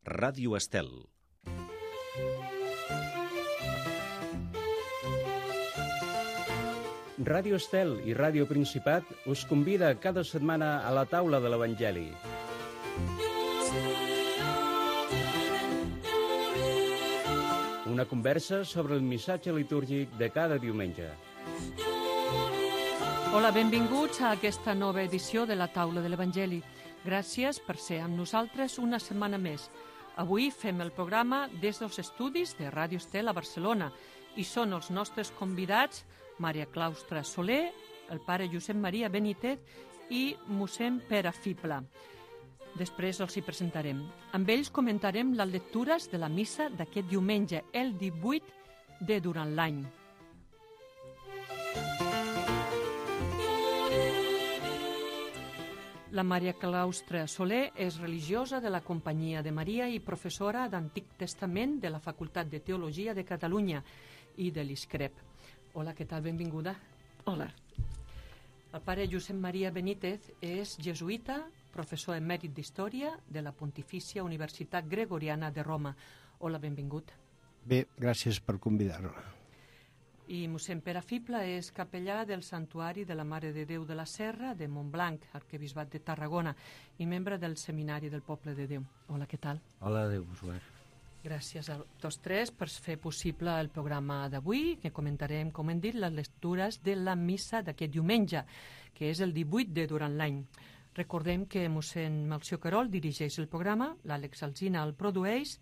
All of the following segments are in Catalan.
Ràdio Estel. Ràdio Estel i Ràdio Principat us convida cada setmana a la taula de l'Evangeli. Una conversa sobre el missatge litúrgic de cada diumenge. Hola, benvinguts a aquesta nova edició de la taula de l'Evangeli. Gràcies per ser amb nosaltres una setmana més. Avui fem el programa des dels estudis de Ràdio Estel a Barcelona i són els nostres convidats Maria Claustra Soler, el pare Josep Maria Benítez i mossèn Pere Fibla. Després els hi presentarem. Amb ells comentarem les lectures de la missa d'aquest diumenge, el 18 de durant l'any. La Maria Claustra Soler és religiosa de la Companyia de Maria i professora d'Antic Testament de la Facultat de Teologia de Catalunya i de l'ISCREP. Hola, què tal? Benvinguda. Hola. El pare Josep Maria Benítez és jesuïta, professor emèrit d'Història de la Pontifícia Universitat Gregoriana de Roma. Hola, benvingut. Bé, gràcies per convidar-me. I mossèn Pere Fibla és capellà del Santuari de la Mare de Déu de la Serra de Montblanc, arquebisbat de Tarragona, i membre del Seminari del Poble de Déu. Hola, què tal? Hola, Déu-vos-guard. Gràcies a tots tres per fer possible el programa d'avui, que comentarem, com hem dit, les lectures de la missa d'aquest diumenge, que és el 18 de durant l'any. Recordem que mossèn Melcior Querol dirigeix el programa, l'Àlex Alsina el produeix,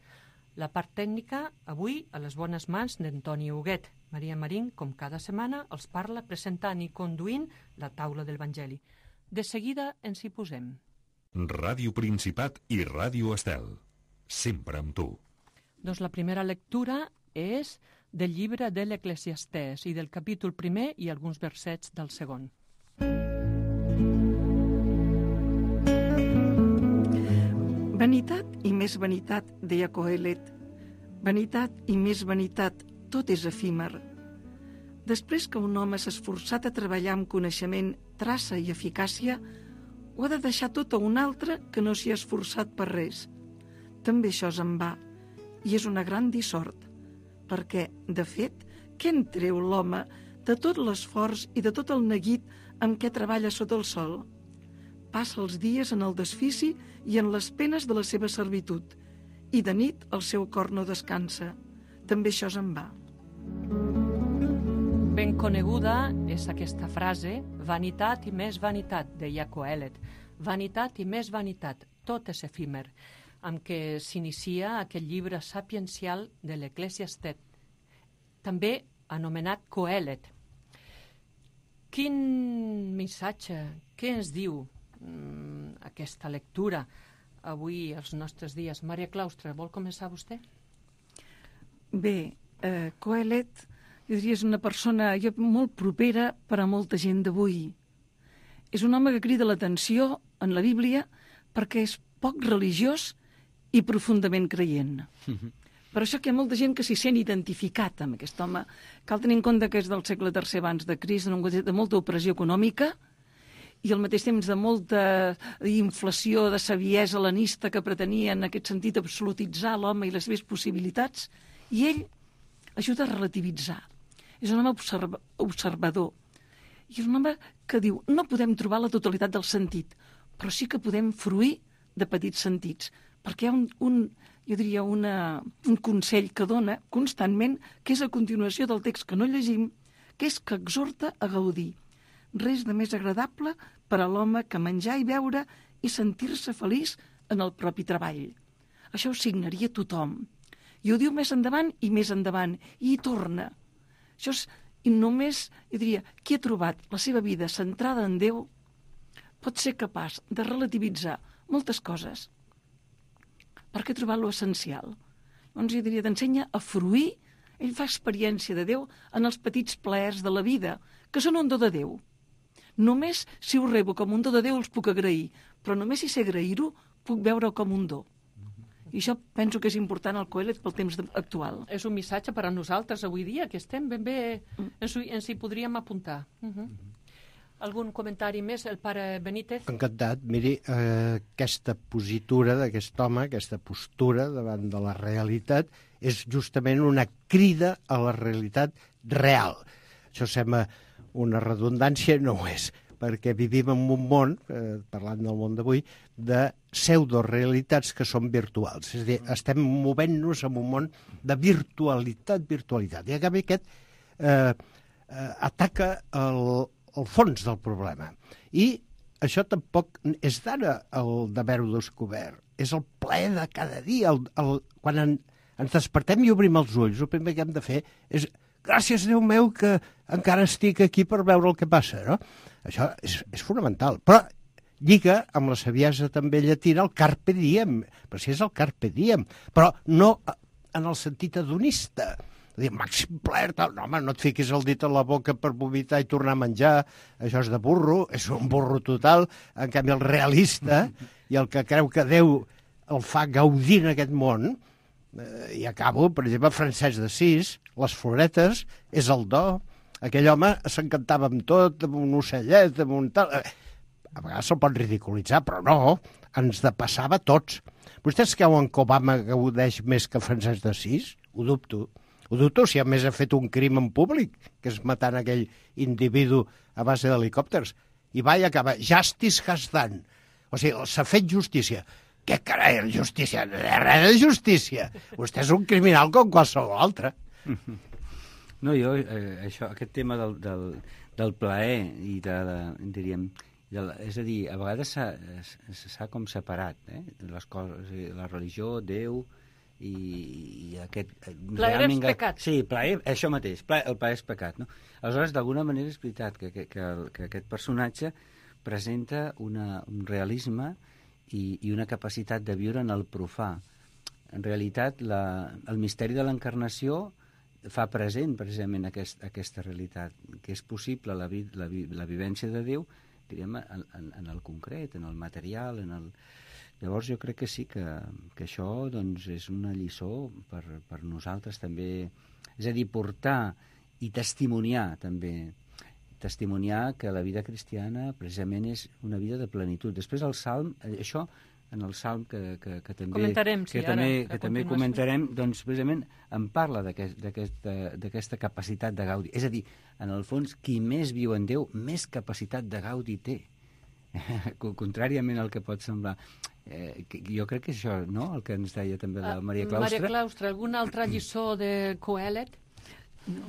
la part tècnica, avui, a les bones mans d'Antoni Huguet. Maria Marín, com cada setmana, els parla presentant i conduint la taula del Vangeli. De seguida ens hi posem. Ràdio Principat i Ràdio Estel. Sempre amb tu. Doncs la primera lectura és del llibre de l'Eclesiastès i del capítol 1 i alguns versets del segon. Vanitat i més vanitat, deia Coelet. Vanitat i més vanitat, tot és efímer. Després que un home s'ha esforçat a treballar amb coneixement, traça i eficàcia, ho ha de deixar tot a un altre que no s'hi ha esforçat per res. També això és en va, i és una gran dissort, perquè, de fet, què en treu l'home de tot l'esforç i de tot el neguit amb què treballa sota el sol? Passa els dies en el desfici i en les penes de la seva servitud, i de nit el seu cor no descansa. També això se'n va. Ben coneguda és aquesta frase, vanitat i més vanitat, deia Coelet. Vanitat i més vanitat, tot és efímer, amb què s'inicia aquest llibre sapiencial de l'Eclesiastés, també anomenat Coelet. Quin missatge, què ens diu aquesta lectura avui als nostres dies? Maria Claustra, vol començar vostè? Bé, Coelet, jo diria, és una persona molt propera per a molta gent d'avui. És un home que crida l'atenció en la Bíblia perquè és poc religiós i profundament creient. Per això que hi ha molta gent que s'hi sent identificat amb aquest home. Cal tenir en compte que és del segle III abans de Crist, de molta opressió econòmica i al mateix temps de molta inflació de saviesa helenista que pretenia en aquest sentit absolutitzar l'home i les seves possibilitats, i ell ajuda a relativitzar. És un home observador. I és un home que diu, no podem trobar la totalitat del sentit, però sí que podem fruir de petits sentits, perquè hi ha un consell que dona constantment, que és a continuació del text que no llegim, que és que exhorta a gaudir. Res de més agradable per a l'home que menjar i beure i sentir-se feliç en el propi treball. Això ho signaria tothom. I ho diu més endavant, i hi torna. Això és, i només, jo diria, qui ha trobat la seva vida centrada en Déu pot ser capaç de relativitzar moltes coses perquè ha trobat l'essencial. Doncs jo diria, t'ensenya a fruir, ell fa experiència de Déu en els petits plaers de la vida, que són un do de Déu. Només si ho rebo com un do de Déu els puc agrair, però només si sé agrair-ho puc veure-ho com un do. I això penso que és important al Coelet pel temps actual. És un missatge per a nosaltres avui dia, que estem ben bé, ens hi podríem apuntar. Algun comentari més, el pare Benítez? Encantat. Miri, aquesta positura d'aquest home, aquesta postura davant de la realitat, és justament una crida a la realitat real. Això sembla una redundància, no ho és, perquè vivim en un món, parlant del món d'avui, de pseudorealitats que són virtuals. És a dir, estem movent-nos en un món de virtualitat. I a canvi aquest ataca el fons del problema. I això tampoc és d'ara el d'haver-ho descobert. És el plaer de cada dia. Quan ens despertem i obrim els ulls, el primer que hem de fer és gràcies, Déu meu, que encara estic aquí per veure el que passa, no? Això és fonamental. Però lliga amb la saviesa també llatina el carpe diem, però si és el carpe diem, però no en el sentit hedonista. Dir, màxim plaer, tal. No, home, no et fiquis el dit a la boca per vomitar i tornar a menjar. Això és de burro, és un burro total. En canvi, el realista i el que creu que Déu el fa gaudir en aquest món, i acabo, per exemple, Francesc d'Assís, les floretes, és el do. Aquell home s'encantava amb tot, amb un ocellet, amb un tal... A vegades se'l pot ridiculitzar, però no, ens depassava a tots. Vostès creuen que Obama gaudeix més que Francesc d'Assís? Ho dubto. Ho dubto si a més ha fet un crim en públic, que és matant aquell individu a base d'helicòpters. I va i acaba, justice has done. O sigui, s'ha fet justícia. Què carai, justícia? Res de justícia. Vostè és un criminal com qualsevol altre. No, jo, aquest tema del plaer i diríem, és a dir, a vegades s'ha com separat, les coses, la religió, Déu i aquest... Plaer és pecat. Sí, plaer, això mateix, el plaer és pecat, no? Aleshores, d'alguna manera és veritat que aquest personatge presenta un realisme i una capacitat de viure en el profà. En realitat, el misteri de l'encarnació fa present precisament aquesta realitat, que és possible la vivència de Déu, diríem, en el concret, en el material, Llavors jo crec que sí, que això doncs, és una lliçó per nosaltres també, és a dir, portar i testimoniar també, testimoniar que la vida cristiana precisament és una vida de plenitud. Després el Salm, això en el Salm que també comentarem, sí, que també comentarem, doncs precisament en parla d'aquesta capacitat de gaudi. És a dir, en el fons, qui més viu en Déu, més capacitat de gaudi té. Contràriament al que pot semblar. Jo crec que això, no?, el que ens deia també la Maria Claustre. Maria Claustre, alguna altra lliçó de Coelet? No.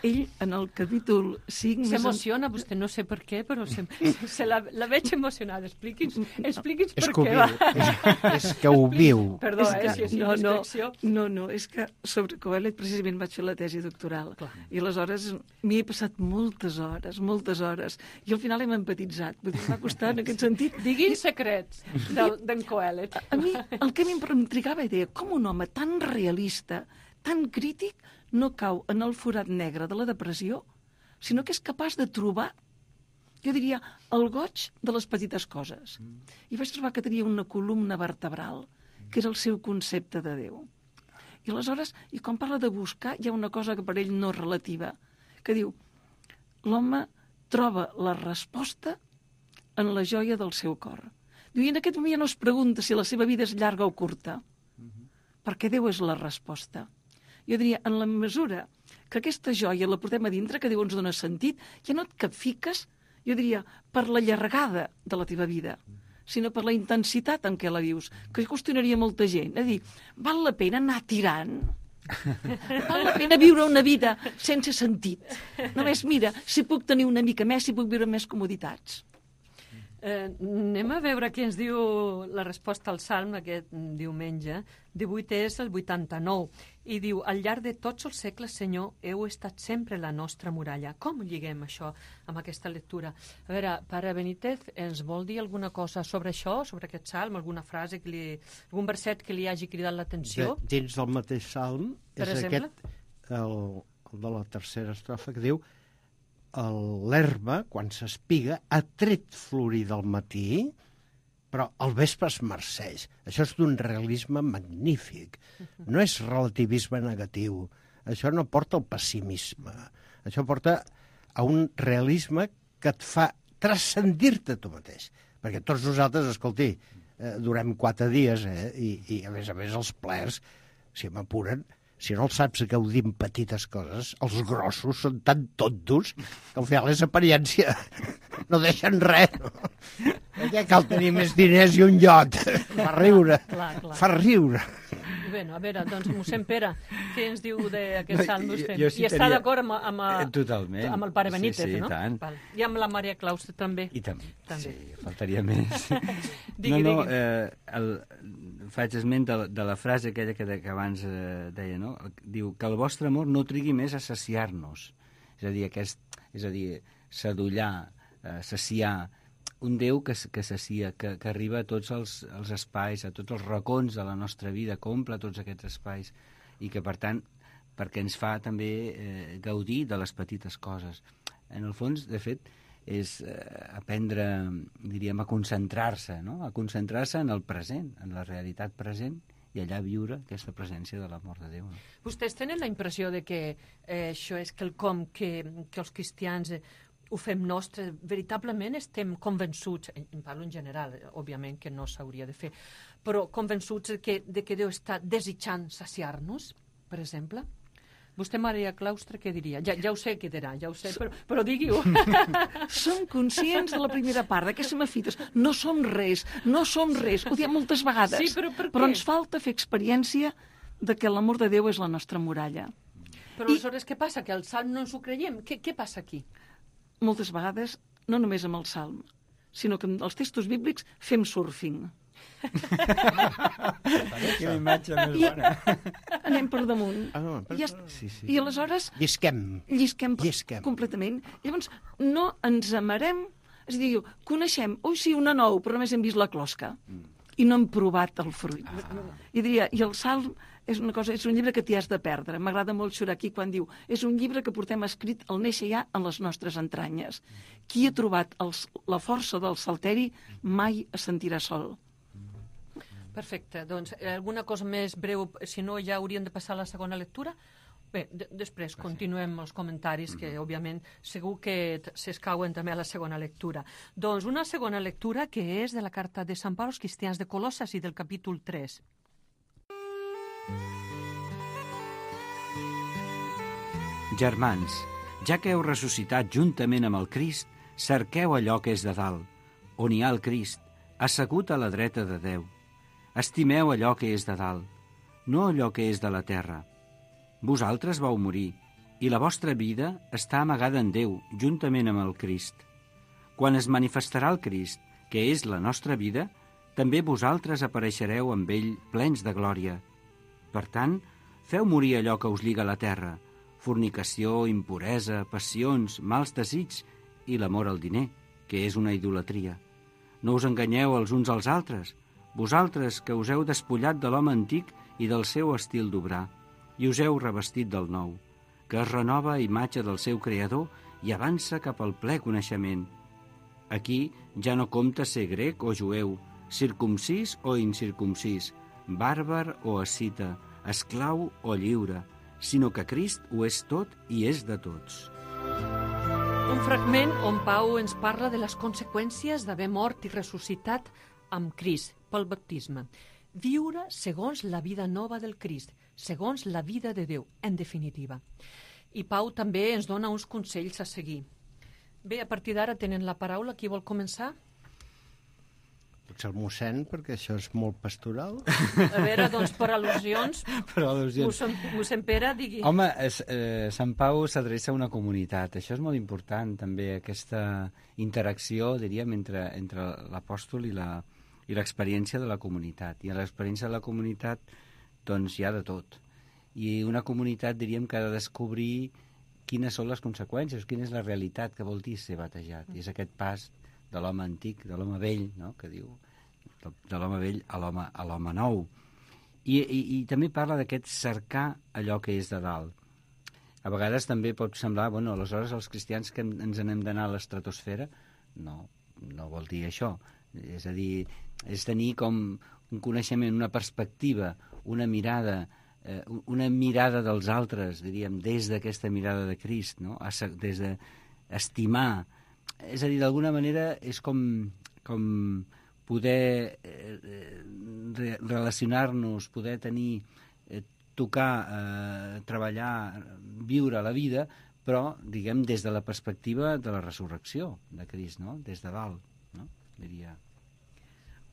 Ell, en el capítol 5... S'emociona vostè, no sé per què, però la veig emocionada. Expliqui'ns per què. És que ho viu. Perdó, si és una expressió. No, és que sobre Coelet precisament vaig fer la tesi doctoral. Clar. I aleshores m'hi he passat moltes hores, i al final hem empatitzat. M'ha costat en aquest sentit. Diguin secrets d'en Coelet. A mi, el que m'intrigava era com un home tan realista, tan crític, no cau en el forat negre de la depressió, sinó que és capaç de trobar, jo diria, el goig de les petites coses. I vaig trobar que tenia una columna vertebral, que era el seu concepte de Déu. I aleshores, i quan parla de buscar, hi ha una cosa que per ell no és relativa, que diu, l'home troba la resposta en la joia del seu cor. Diu, i en aquest moment ja no es pregunta si la seva vida és llarga o curta, perquè Déu és la resposta. Jo diria, en la mesura que aquesta joia la portem a dintre, que Déu ens dona sentit, ja no et capfiques, jo diria, per la llargada de la teva vida, sinó per la intensitat en què la vius, que qüestionaria molta gent. És a dir, val la pena anar tirant? Val la pena viure una vida sense sentit? Només mira, si puc tenir una mica més, si puc viure més comoditats. Anem a veure què ens diu la resposta al Salm aquest diumenge. 18 és el 89. I diu, al llarg de tots els segles, Senyor, heu estat sempre la nostra muralla. Com lliguem això amb aquesta lectura? A veure, pare Benítez, ens vol dir alguna cosa sobre això, sobre aquest Salm, alguna frase, algun verset que li hagi cridat l'atenció? Dins del mateix Salm és aquest, el de la tercera estrofa, que diu l'herba, quan s'espiga, ha tret florir del matí, però al vespre es marceix. Això és d'un realisme magnífic. No és relativisme negatiu. Això no porta al pessimisme. Això porta a un realisme que et fa transcendir-te tu mateix. Perquè tots nosaltres, escolti, durem 4 dies, i a més els plers, si m'apuren, si no els saps gaudir amb petites coses, els grossos són tan tontos que al final és apariència. No deixen res. Ja cal tenir més diners i un iot. Fa riure. Clar. Fa riure. Bé, a veure, doncs, mossèn Pere, què ens diu d'aquest salm vostè? Jo sí I està d'acord amb totalment. Amb el pare Benítez, sí, no? Tant. Val. I amb la Maria Claustre també. I també. També. Sí, faltaria més. Digui. Faig esment de la frase aquella que abans deia, no? Diu que el vostre amor no trigui més a saciar-nos. És a dir, sadollar, saciar, un Déu que sacia, que arriba a tots els espais, a tots els racons de la nostra vida, que omple tots aquests espais, i que, per tant, perquè ens fa també gaudir de les petites coses. En el fons, de fet, és aprendre, diríem, a concentrar-se, no? A concentrar-se en el present, en la realitat present, i allà viure aquesta presència de l'amor de Déu. No? Vostès tenen la impressió de que això és quelcom que els cristians ho fem nostre, veritablement estem convençuts, en parlo en general, òbviament que no s'hauria de fer, però convençuts de que Déu està desitjant saciar-nos, per exemple? Vostè, Maria Claustre, què diria? Ja ho sé què dirà, ja ho sé, però digui-ho. Som conscients de la primera part, d'aquestes mafites. No som res, ho diem moltes vegades. Sí, però per què? Però ens falta fer experiència de que l'amor de Déu és la nostra muralla. Però aleshores què passa? Que el salm no ens ho creiem? Què passa aquí? Moltes vegades, no només amb el salm, sinó que amb els textos bíblics fem surfing. Quina imatge més bona. Anem per damunt. Sí. I aleshores llisquem completament. Llavors no ens amarem, és a dir, coneixem, una nou, però només hem vist la closca i no hem provat el fruit. I diria, i el salm és una cosa, és un llibre que t'hi has de perdre. M'agrada molt Xuraki quan diu, és un llibre que portem escrit al néixer ja en les nostres entranyes. Qui ha trobat la força del salteri mai es sentirà sol. Perfecte, doncs alguna cosa més breu, si no ja hauríem de passar a la segona lectura? Bé, després continuem els comentaris, que òbviament segur que s'escauen també a la segona lectura. Doncs una segona lectura que és de la carta de Sant Pau als cristians de Colosses i del capítol 3. Germans, ja que heu ressuscitat juntament amb el Crist, cerqueu allò que és de dalt, on hi ha el Crist, assegut a la dreta de Déu. Estimeu allò que és de dalt, no allò que és de la terra. Vosaltres vau morir, i la vostra vida està amagada en Déu, juntament amb el Crist. Quan es manifestarà el Crist, que és la nostra vida, també vosaltres apareixereu amb ell plens de glòria. Per tant, feu morir allò que us lliga a la terra, fornicació, impuresa, passions, mals desigs i l'amor al diner, que és una idolatria. No us enganyeu els uns als altres, vosaltres que us heu despullat de l'home antic i del seu estil d'obrar, i us heu revestit del nou, que es renova a imatge del seu creador i avança cap al ple coneixement. Aquí ja no compta ser grec o jueu, circumcís o incircumcís, bàrbar o escita, esclau o lliure, sinó que Crist ho és tot i és de tots. Un fragment on Pau ens parla de les conseqüències d'haver mort i ressuscitat amb Crist pel baptisme. Viure segons la vida nova del Crist, segons la vida de Déu, en definitiva. I Pau també ens dona uns consells a seguir. Bé, a partir d'ara tenen la paraula. Qui vol començar? Potser el mossèn, perquè això és molt pastoral. A veure, doncs, per al·lusions, mossèn Pere, digui. Home, Sant Pau s'adreça a una comunitat. Això és molt important, també, aquesta interacció, diríem, entre l'apòstol i l'experiència de la comunitat. I a l'experiència de la comunitat, doncs, hi ha de tot. I una comunitat, diríem, que ha de descobrir quines són les conseqüències, quina és la realitat que vol dir ser batejat. I és aquest pas de l'home antic, de l'home vell, no?, que diu, de l'home vell a l'home nou. I també parla d'aquest cercar allò que és de dalt. A vegades també pot semblar, bueno, aleshores els cristians que ens n'hem d'anar a l'estratosfera, no vol dir això. És a dir, és tenir com un coneixement, una perspectiva, una mirada dels altres, diríem, des d'aquesta mirada de Crist, no? Des d'estimar és a dir, d'alguna manera és com poder relacionar-nos, poder tenir, tocar, treballar, viure la vida, però, diguem, des de la perspectiva de la resurrecció de Crist, no? Des de dalt, no? Diria.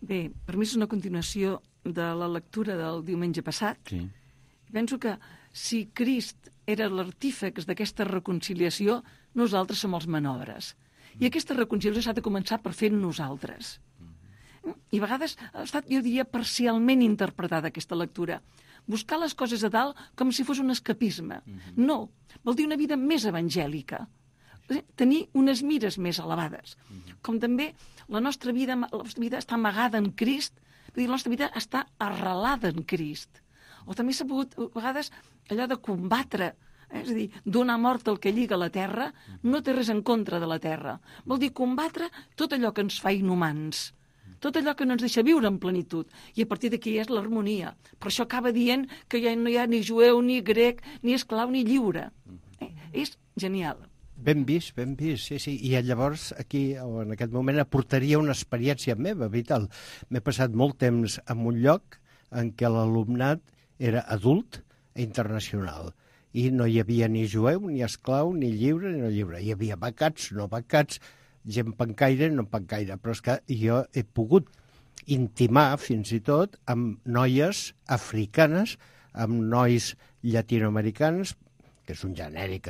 Bé, per mi és una continuació de la lectura del diumenge passat. Sí. Penso que si Crist era l'artífex d'aquesta reconciliació, nosaltres som els manobres. I aquesta reconciliació s'ha de començar per fer nosaltres. I a vegades ha estat, jo diria, parcialment interpretada aquesta lectura. Buscar les coses a dalt com si fos un escapisme. No, vol dir una vida més evangèlica. Tenir unes mires més elevades. Com també la nostra vida està amagada en Crist, vull dir, la nostra vida està arrelada en Crist. O també s'ha pogut, a vegades, allò de combatre, és a dir, donar mort al que lliga la terra, no té res en contra de la terra. Vol dir combatre tot allò que ens fa inhumans, tot allò que no ens deixa viure en plenitud. I a partir d'aquí és l'harmonia. Per això acaba dient que ja no hi ha ni jueu, ni grec, ni esclau, ni lliure. És genial. Ben vist, sí, sí. I llavors aquí, o en aquest moment, aportaria una experiència meva, vital. M'he passat molt temps en un lloc en què l'alumnat era adult i internacional. I no hi havia ni jueu, ni esclau, ni lliure, ni no lliure. Hi havia becats, no becats, gent pencaire, no pencaire. Però és que jo he pogut intimar, fins i tot, amb noies africanes, amb nois llatinoamericans, que és un genèric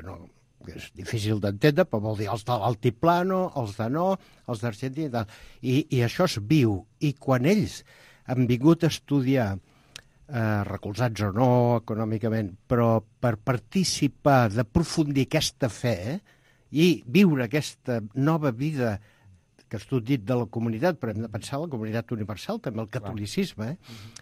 que és difícil d'entendre, però vol dir els de l'altiplano, els de no, els d'Argentina i tal. I això es viu. I quan ells han vingut a estudiar, recolzats o no econòmicament, però per participar, d'aprofundir aquesta fe i viure aquesta nova vida que has dit de la comunitat, però hem de pensar en la comunitat universal, també el catolicisme,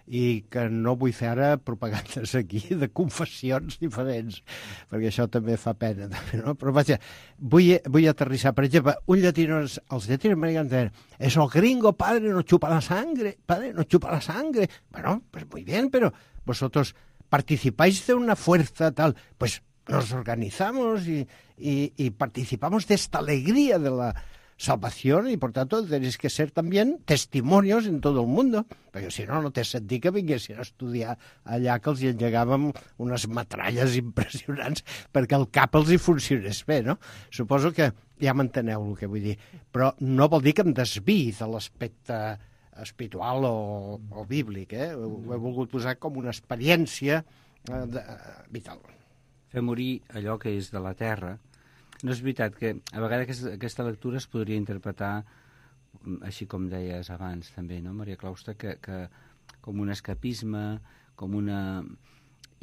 i que no vull fer ara propagandes aquí de confessions diferents, perquè això també fa pena, no? Però vaja, vull aterrissar, per exemple, els latinoamericans deien, es el gringo, padre, no chupa la sangre, padre, no chupa la sangre. Bueno, pues muy bien, pero vosotros participáis de una fuerza tal, pues nos organizamos y participamos de esta alegría de la salvación y por tanto tenéis que ser también testimonios en todo el mundo, perquè si no, no té sentit que vinguessin a estudiar allà que els engegàvem unes metralles impressionants perquè el cap els hi funcionés bé, no? Suposo que ja m'enteneu el que vull dir, però no vol dir que em desviï de l'aspecte espiritual o bíblic, Ho he volgut posar com una experiència vital. Fer morir allò que és de la terra. No és veritat que a vegades aquesta lectura es podria interpretar, així com deies abans també, no, Maria Claustra, que com un escapisme, com una...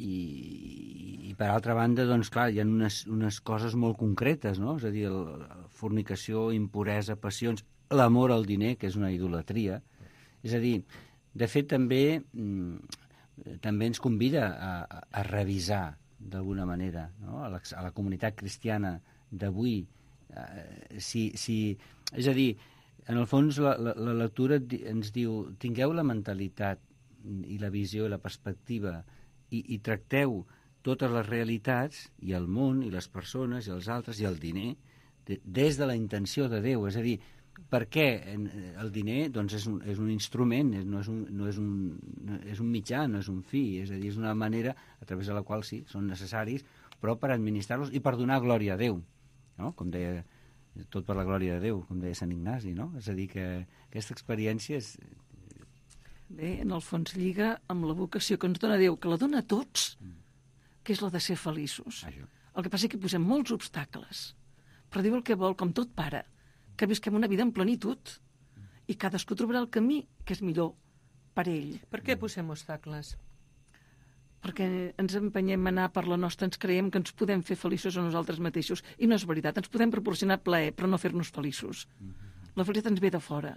I per altra banda, doncs clar, hi ha unes coses molt concretes, no? És a dir, fornicació, impuresa, passions, l'amor al diner, que és una idolatria. És a dir, de fet també ens convida a revisar d'alguna manera, no? A la comunitat cristiana d'avui, és a dir, en el fons la lectura ens diu, tingueu la mentalitat i la visió i la perspectiva i tracteu totes les realitats i el món i les persones i els altres i el diner des de la intenció de Déu, és a dir, per què el diner doncs és un instrument, és un mitjà, no és un fi, és a dir, és una manera a través de la qual sí, són necessaris, però per administrar-los i per donar glòria a Déu, no? Com deia, tot per la glòria de Déu, com deia Sant Ignasi, no? És a dir, que aquesta experiència és... Bé, en el fons lliga amb la vocació que ens dona Déu, que la dona a tots, que és la de ser feliços. Això. El que passa és que posem molts obstacles, però Déu el que vol, com tot pare, que visquem una vida en plenitud i cadascú trobarà el camí que és millor per ell. Per què posem obstacles? Perquè ens empenyem a anar per la nostra, ens creiem que ens podem fer feliços a nosaltres mateixos, i no és veritat, ens podem proporcionar plaer, però no fer-nos feliços. La felicitat ens ve de fora,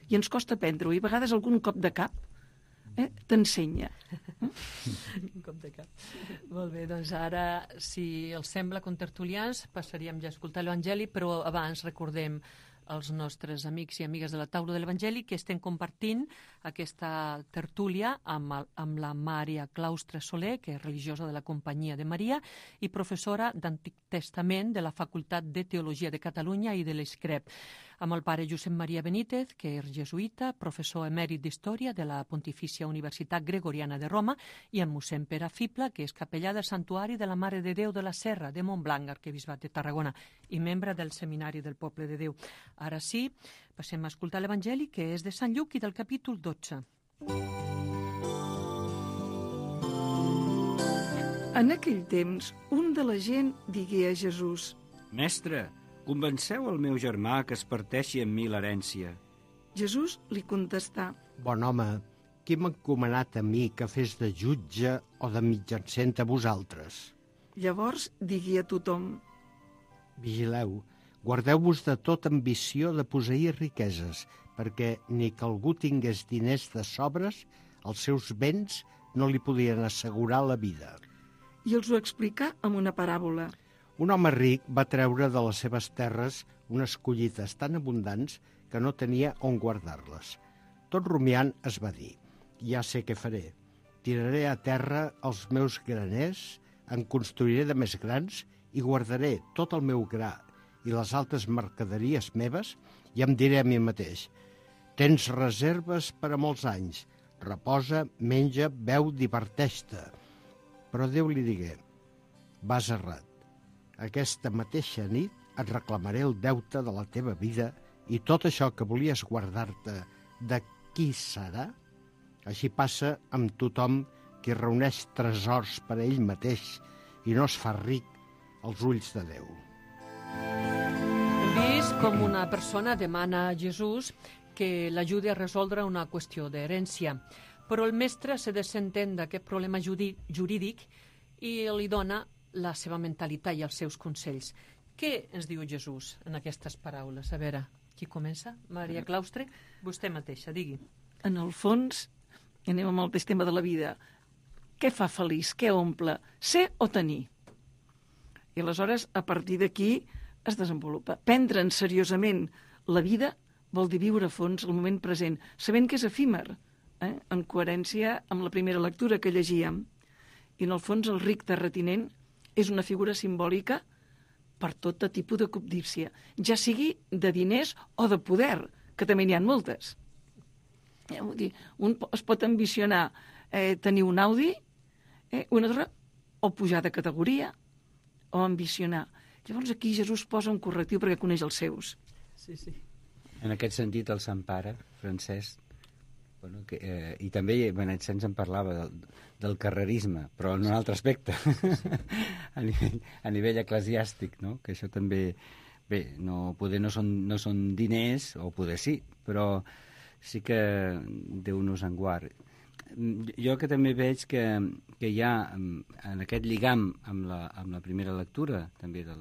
i ens costa aprendre-ho, i a vegades algun cop de cap t'ensenya. Un cop de cap. Molt bé, doncs ara, si els sembla, contertulians, passaríem ja a escoltar l'Evangeli, però abans recordem als nostres amics i amigues de la taula de l'Evangeli que estem compartint aquesta tertúlia amb la Maria Claustre Soler, que és religiosa de la Companyia de Maria i professora d'Antic Testament de la Facultat de Teologia de Catalunya i de l'ESCREP, amb el pare Josep Maria Benítez, que és jesuïta, professor emèrit d'Història de la Pontifícia Universitat Gregoriana de Roma, i amb mossèn Pere Fibla, que és capellà del Santuari de la Mare de Déu de la Serra de Montblanc, arquebisbat de Tarragona, i membre del Seminari del Poble de Déu. Ara sí, passem a escoltar l'Evangeli, que és de Sant Lluc i del capítol 12. En aquell temps, un de la gent digué a Jesús: Mestre, convenceu el meu germà que es parteixi amb mi l'herència. Jesús li contestà: Bon home, qui m'ha encomanat a mi que fes de jutge o de mitjancent a vosaltres? Llavors digué a tothom: Vigileu, guardeu-vos de tota ambició de posseir riqueses, perquè ni que algú tingués diners de sobres, els seus béns no li podien assegurar la vida. I els ho explicà amb una paràbola. Un home ric va treure de les seves terres unes collites tan abundants que no tenia on guardar-les. Tot rumiant es va dir: ja sé què faré. Tiraré a terra els meus graners, en construiré de més grans i guardaré tot el meu gra i les altres mercaderies meves i em diré a mi mateix: tens reserves per a molts anys, reposa, menja, beu, diverteix-te. Però Déu li digué: vas errat. Aquesta mateixa nit et reclamaré el deute de la teva vida i tot això que volies guardar-te, de qui serà? Així passa amb tothom qui reuneix tresors per a ell mateix i no es fa ric als ulls de Déu. Hem vist com una persona demana a Jesús que l'ajudi a resoldre una qüestió d'herència, però el mestre se desentén d'aquest problema jurídic i li dona la seva mentalitat i els seus consells. Què ens diu Jesús en aquestes paraules? A veure, qui comença? Maria Claustre? Vostè mateixa, digui. En el fons, anem amb el mateix tema de la vida. Què fa feliç? Què omple? Ser o tenir? I aleshores, a partir d'aquí, es desenvolupa. Prendre'n seriosament la vida vol dir viure a fons el moment present, sabent que és efímer, en coherència amb la primera lectura que llegíem. I en el fons el ric terratinent és una figura simbòlica per tot tipus de cobdícia, ja sigui de diners o de poder, que també n'hi ha moltes. Vull dir, un es pot ambicionar tenir un Audi, un altre, o pujar de categoria, o ambicionar. Llavors aquí Jesús posa un correctiu perquè coneix els seus. Sí, sí. En aquest sentit, el Sant Pare, Francesc, i també Benet Sens en parlava del carrerisme, però en un altre aspecte, a nivell eclesiàstic, no? Que això també, bé, poder no són diners, o poder sí, però sí que Déu nos en guard. Jo que també veig que hi ha en aquest lligam amb la primera lectura també de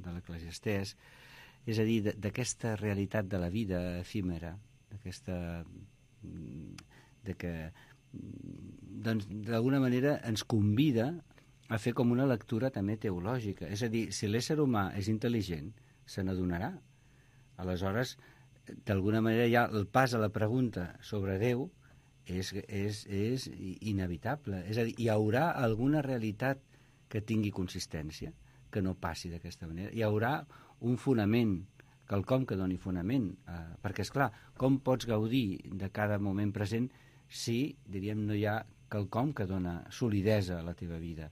l'Eclesiastès, és a dir, d'aquesta realitat de la vida efímera, que doncs d'alguna manera ens convida a fer com una lectura també teològica. És a dir, si l'ésser humà és intel·ligent, se n'adonarà. Aleshores, d'alguna manera ja el pas a la pregunta sobre Déu és inevitable. És a dir, hi haurà alguna realitat que tingui consistència, que no passi d'aquesta manera. Hi haurà un fonament, quelcom que doni fonament, perquè, esclar, com pots gaudir de cada moment present si, diríem, no hi ha quelcom que dona solidesa a la teva vida.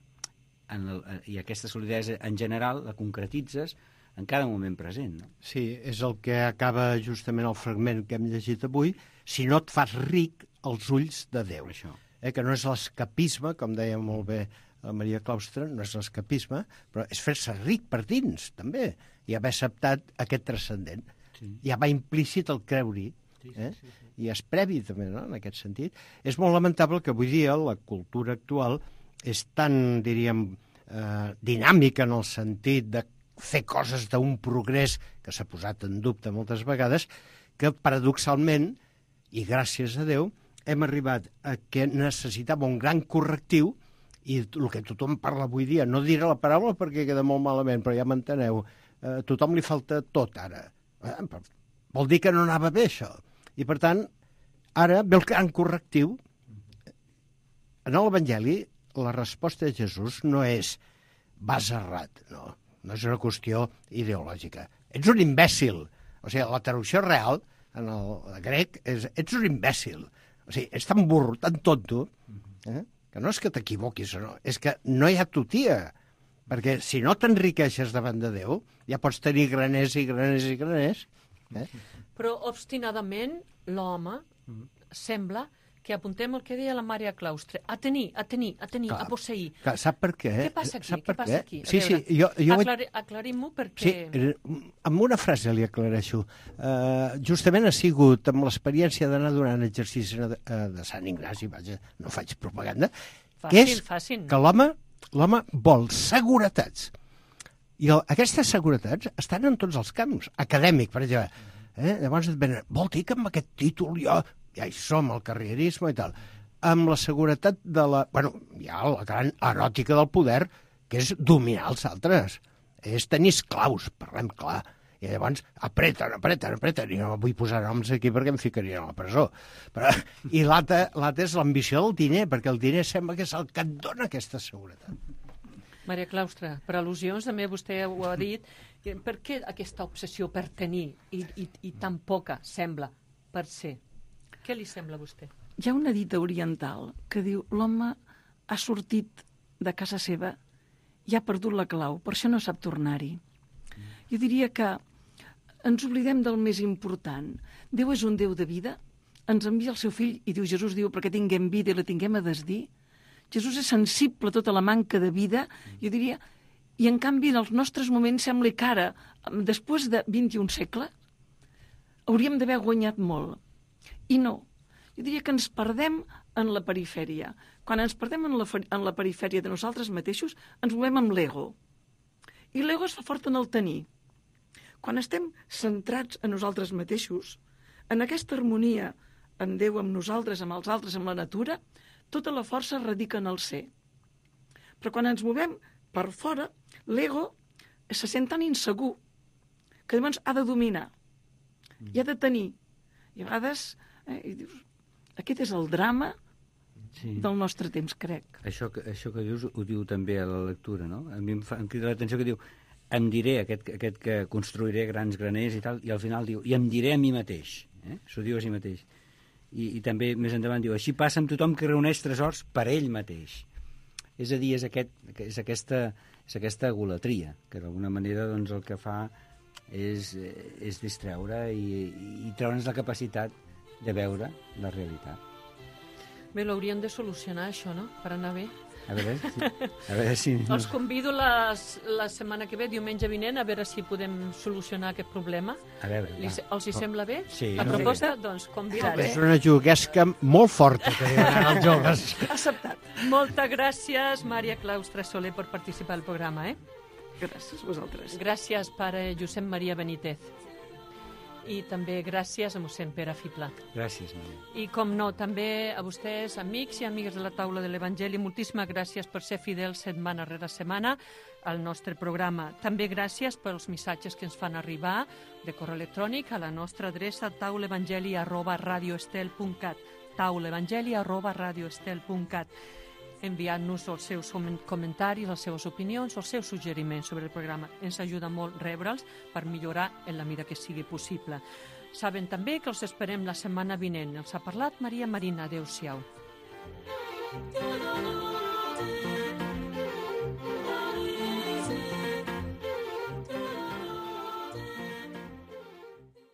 I aquesta solidesa, en general, la concretitzes en cada moment present, no? Sí, és el que acaba justament el fragment que hem llegit avui: si no et fas ric als ulls de Déu. Això. Que no és l'escapisme, com deia molt bé la Maria Claustre, no és l'escapisme, però és fer-se ric per dins, també, i haver acceptat aquest transcendent. Sí. Ja va implícit el creure-hi, sí. I és previ també, no?, en aquest sentit. És molt lamentable que avui dia la cultura actual és tan, diríem, dinàmica en el sentit de fer coses d'un progrés que s'ha posat en dubte moltes vegades, que paradoxalment, i gràcies a Déu, hem arribat a que necessitava un gran correctiu, i el que tothom parla avui dia, no diré la paraula perquè queda molt malament, però ja m'enteneu, a tothom li falta tot ara. Vol dir que no anava bé, això. I, per tant, ara ve el gran correctiu. En l'Evangeli, la resposta de Jesús no és vas errat, no és una qüestió ideològica. Ets un imbècil. O sigui, la traducció real, en el grec, és ets un imbècil. O sigui, és tan burro, tan tonto, que no és que t'equivoquis o no, és que no hi ha tutia. Perquè si no t'enriqueixes davant de Déu, ja pots tenir graners i graners i graners. Però obstinadament l'home sembla que apuntem el que deia la Maria Claustre, a tenir, Clar, a posseir. Clar, sap per què? Què passa aquí? Sap Què passa aquí? Sí, jo Aclarim-ho perquè... Sí, amb una frase li aclareixo. Justament ha sigut amb l'experiència d'anar donant exercici de Sant Ignasi, vaja, no faig propaganda, que és que l'home vol seguretats. I aquestes seguretats estan en tots els camps. Acadèmic, per exemple. Llavors et venen, vol dir que amb aquest títol ja hi som, el carrierisme i tal. Amb la seguretat de la... Bueno, hi ha la gran eròtica del poder, que és dominar els altres. És tenir esclaus, parlem clar. I llavors apreten, i no vull posar noms aquí perquè em ficarien a la presó. I l'altre és l'ambició del diner, perquè el diner sembla que és el que et dona aquesta seguretat. Maria Claustre, per al·lusions, també vostè ho ha dit, per què aquesta obsessió per tenir i tan poca sembla per ser? Què li sembla a vostè? Hi ha una dita oriental que diu l'home ha sortit de casa seva i ha perdut la clau, per això no sap tornar-hi. Jo diria que ens oblidem del més important. Déu és un Déu de vida, ens envia el seu fill i diu, Jesús diu, perquè tinguem vida i la tinguem a desdir. Jesús és sensible a tota la manca de vida, jo diria, i en canvi en els nostres moments sembla que ara, després de 21 segles, hauríem d'haver guanyat molt. I no. Jo diria que ens perdem en la perifèria. Quan ens perdem en la perifèria de nosaltres mateixos, ens movem amb l'ego. I l'ego es fa fort en el tenir. Quan estem centrats en nosaltres mateixos, en aquesta harmonia amb Déu, amb nosaltres, amb els altres, amb la natura, tota la força radica en el ser. Però quan ens movem per fora, l'ego se sent tan insegur que llavors ha de dominar i ha de tenir. I a vegades i dius, aquest és el drama del nostre temps, crec. Això que dius ho diu també a la lectura, no? A mi em crida l'atenció que diu em diré, aquest que construiré grans graners i tal, i al final diu, i em diré a mi mateix. S'ho diu a si mateix. I també més endavant diu, així passa amb tothom que reuneix tresors per ell mateix. És a dir, és aquesta egolatria, que d'alguna manera doncs, el que fa és distreure i treure'ns la capacitat de veure la realitat. Bé, l'hauríem de solucionar, això, no?, per anar bé. A veure si... Els convido la setmana que ve, diumenge vinent, a veure si podem solucionar aquest problema. A veure, els hi sembla bé? Sí. La proposta? Doncs convidaré. És una juguesca molt forta que diuen els joves. Acceptat. Moltes gràcies, Maria Claustre Soler, per participar al programa. Gràcies a vosaltres. Gràcies, pare Josep Maria Benítez. I també gràcies a mossèn Pere Fibla. Gràcies, Maria. I, com no, també a vostès, amics i amigues de la taula de l'Evangeli, moltíssimes gràcies per ser fidels setmana rere setmana al nostre programa. També gràcies pels missatges que ens fan arribar de correu electrònic a la nostra adreça taulevangeli@radioestel.cat taulevangeli@radioestel.cat enviant-nos els seus comentaris, les seves opinions, els seus suggeriments sobre el programa. Ens ajuda molt rebre'ls per millorar en la mida que sigui possible. Saben també que els esperem la setmana vinent. Els ha parlat Maria Marina. Adéu-siau.